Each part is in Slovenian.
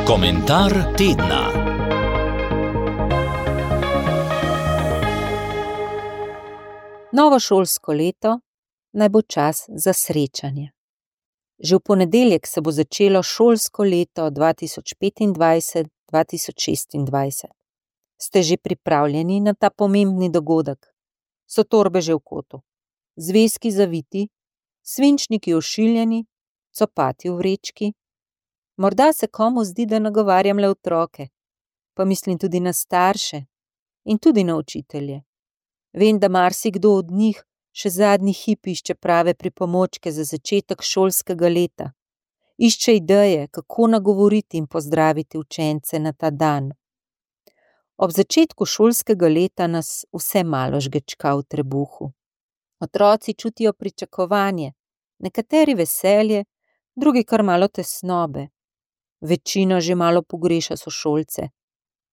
Komentar tedna. Novo šolsko leto naj bo čas za srečanje. Že v ponedeljek se bo začelo šolsko leto 2025-2026. Ste že pripravljeni na ta pomembni dogodek? So torbe že v kotu, zvezki zaviti, svinčniki ošiljeni, copati v vrečki? Morda se komu zdi, da nagovarjam le otroke, pa mislim tudi na starše in tudi na učitelje. Vem, da marsikdo od njih še zadnji hip išče prave pripomočke za začetek šolskega leta. Išče ideje, kako nagovoriti in pozdraviti učence na ta dan. Ob začetku šolskega leta nas vse malo žgečka v trebuhu. Otroci čutijo pričakovanje, nekateri veselje, drugi kar malo tesnobe. Večina že malo pogreša sošolce,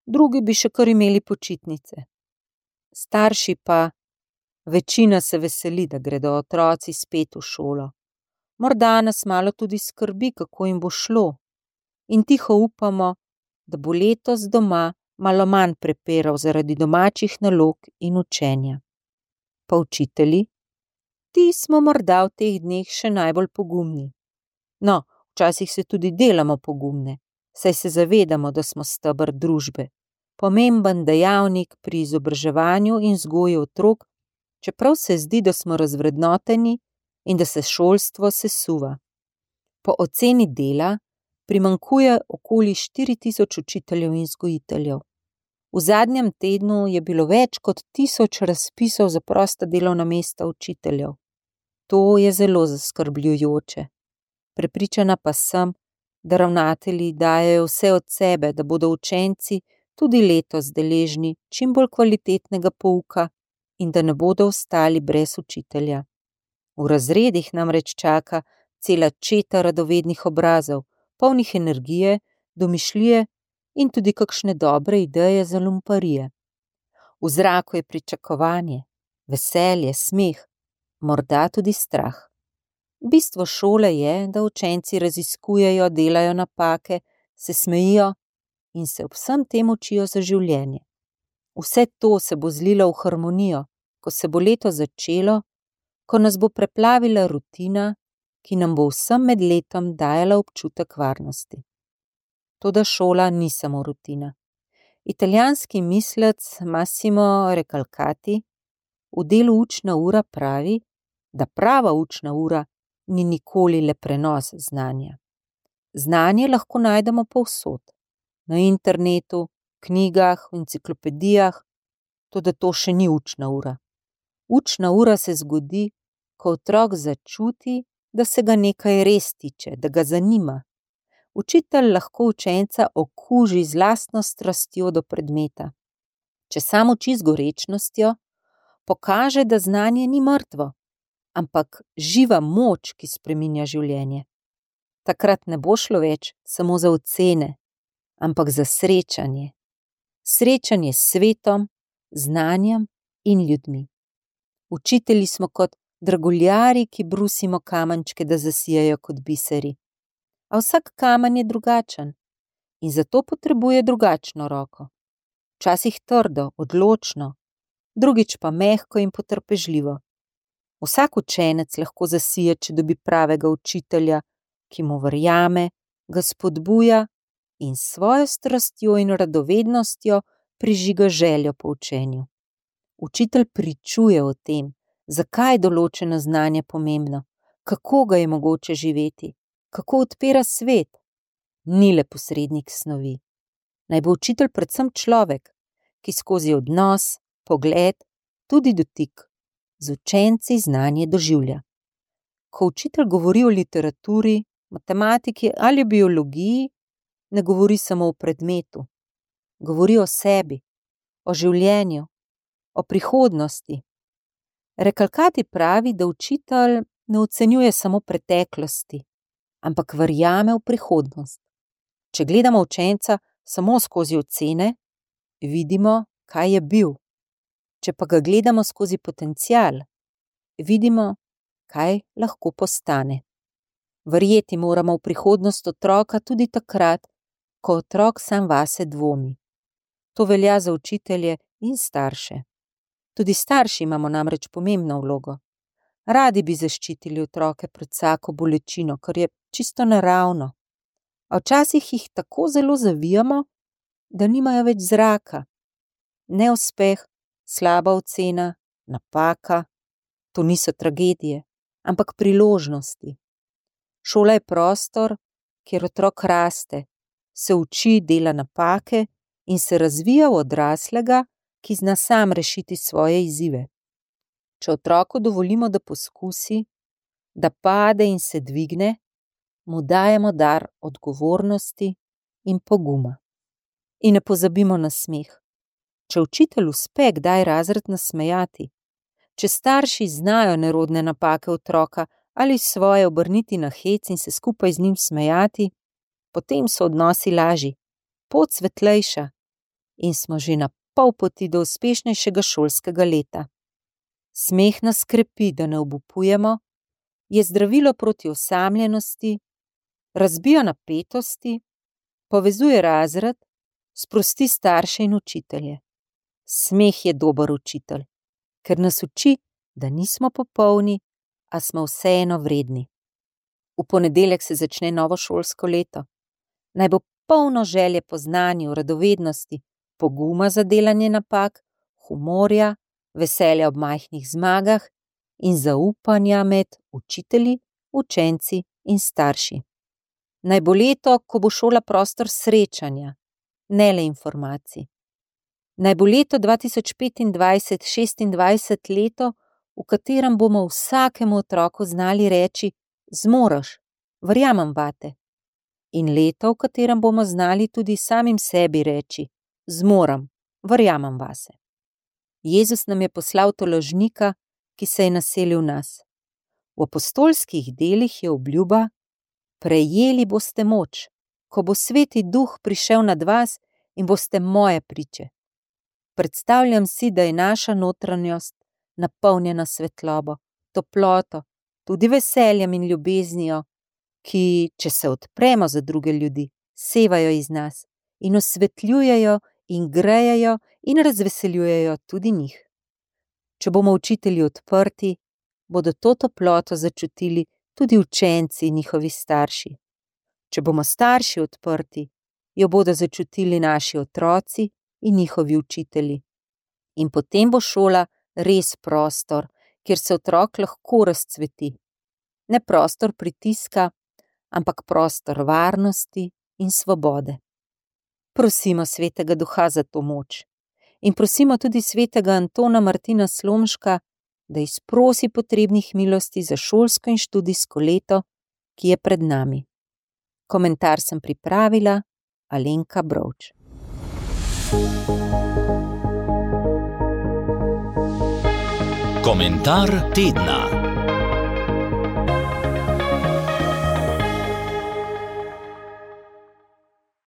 drugi bi še kar imeli počitnice. Starši pa, večina se veseli, da gredo otroci spet v šolo. Morda nas malo tudi skrbi, kako jim bo šlo. In tiho upamo, da bo letos doma malo manj prepirov zaradi domačih nalog in učenja. Pa učitelji? Ti smo morda v teh dneh še najbolj pogumni. No, včasih se tudi delamo pogumne, saj se zavedamo, da smo steber družbe, pomemben dejavnik pri izobraževanju in vzgoji otrok, čeprav se zdi, da smo razvrednoteni in da se šolstvo sesuva. Po oceni Dela primanjkuje okoli 4000 učiteljev in vzgojiteljev. V zadnjem tednu je bilo več kot 1000 razpisov za prosta delovna mesta učiteljev. To je zelo zaskrbljujoče. Prepričana pa sem, da ravnatelji dajejo vse od sebe, da bodo učenci tudi letos deležni čim bolj kvalitetnega pouka in da ne bodo ostali brez učitelja. V razredih namreč čaka cela četa radovednih obrazov, polnih energije, domišljije in tudi kakšne dobre ideje za lumparije. V zraku je pričakovanje, veselje, smeh, morda tudi strah. Bistvo šole je, da učenci raziskujejo, delajo napake, se smejijo in se ob vsem tem učijo za življenje. Vse to se bo zlilo v harmonijo, ko se bo leto začelo, ko nas bo preplavila rutina, ki nam bo vsem med letom dajala občutek varnosti. Toda šola ni samo rutina. Italijanski mislec Massimo Recalcati v delu Učna ura pravi, da prava učna ura ni nikoli le prenos znanja. Znanje lahko najdemo povsod, na internetu, knjigah, enciklopedijah, toda to še ni učna ura. Učna ura se zgodi, ko otrok začuti, da se ga nekaj res tiče, da ga zanima. Učitelj lahko učenca okuži z lastno strastjo do predmeta. Če sam uči z gorečnostjo, pokaže, da znanje ni mrtvo, ampak živa moč, ki spreminja življenje. Takrat ne bo šlo več samo za ocene, ampak za srečanje. Srečanje s svetom, znanjem in ljudmi. Učitelji smo kot draguljarji, ki brusimo kamenčke, da zasijajo kot biseri. A vsak kamen je drugačen in zato potrebuje drugačno roko. Včasih trdo, odločno, drugič pa mehko in potrpežljivo. Vsak učenec lahko zasije, če dobi pravega učitelja, ki mu verjame, ga spodbuja in s svojo strastjo in radovednostjo prižiga željo po učenju. Učitelj pričuje o tem, zakaj je določeno znanje pomembno, kako ga je mogoče živeti, kako odpira svet. Ni le posrednik snovi. Naj bo učitelj predvsem človek, ki skozi odnos, pogled, tudi dotik, z učenci znanje doživlja. Ko učitelj govori o literaturi, matematiki ali biologiji, ne govori samo o predmetu. Govori o sebi, o življenju, o prihodnosti. Recalcati pravi, da učitelj ne ocenjuje samo preteklosti, ampak verjame v prihodnost. Če gledamo učenca samo skozi ocene, vidimo, kaj je bil. Če pa ga gledamo skozi potencial, vidimo, kaj lahko postane. Verjeti moramo v prihodnost otroka tudi takrat, ko otrok sam vase dvomi. To velja za učitelje in starše. Tudi starši imamo namreč pomembno vlogo. Radi bi zaščitili otroke pred vsako bolečino, kar je čisto naravno. A včasih jih tako zelo zavijamo, da nimajo več zraka. Neuspeh, slaba ocena, napaka, to niso tragedije, ampak priložnosti. Šola je prostor, kjer otrok raste, se uči, dela napake in se razvija v odraslega, ki zna sam rešiti svoje izzive. Če otroku dovolimo, da poskusi, da pade in se dvigne, mu dajemo dar odgovornosti in poguma. In ne pozabimo na smeh. Če učitelj uspe kdaj razred nasmejati, če starši znajo nerodne napake otroka ali svoje obrniti na hec in se skupaj z njim smejati, potem so odnosi lažji, pot svetlejša in smo že na pol poti do uspešnejšega šolskega leta. Smeh nas krepi, da ne obupujemo, je zdravilo proti osamljenosti, razbija napetosti, povezuje razred, sprosti starše in učitelje. Smeh je dober učitelj, ker nas uči, da nismo popolni, a smo vseeno vredni. V ponedeljek se začne novo šolsko leto. Naj bo polno želje po znanju, radovednosti, poguma za delanje napak, humorja, veselja ob majhnih zmagah in zaupanja med učitelji, učenci in starši. Naj bo leto, ko bo šola prostor srečanja, ne le informacij. Naj bo leto 2025-26 leto, v katerem bomo vsakemu otroku znali reči: zmoreš, verjamem vate. In leto, v katerem bomo znali tudi samim sebi reči: zmorem, verjamem vase. Jezus nam je poslal tolažnika, ki se je naselil v nas. V apostolskih delih je obljuba: prejeli boste moč, ko bo Sveti Duh prišel nad vas in boste moje priče. Predstavljam si, da je naša notranjost napolnjena svetlobo, toploto, tudi veseljem in ljubeznijo, ki, če se odpremo za druge ljudi, sevajo iz nas in osvetljujejo in grejejo in razveseljujejo tudi njih. Če bomo učitelji odprti, bodo to toploto začutili tudi učenci in njihovi starši. Če bomo starši odprti, jo bodo začutili naši otroci in njihovi učitelji. In potem bo šola res prostor, kjer se otrok lahko razcveti. Ne prostor pritiska, ampak prostor varnosti in svobode. Prosimo Svetega Duha za to moč. In prosimo tudi svetega Antona Martina Slomška, da izprosi potrebnih milosti za šolsko in študijsko leto, ki je pred nami. Komentar sem pripravila Alenka Brovč. Komentar tedna.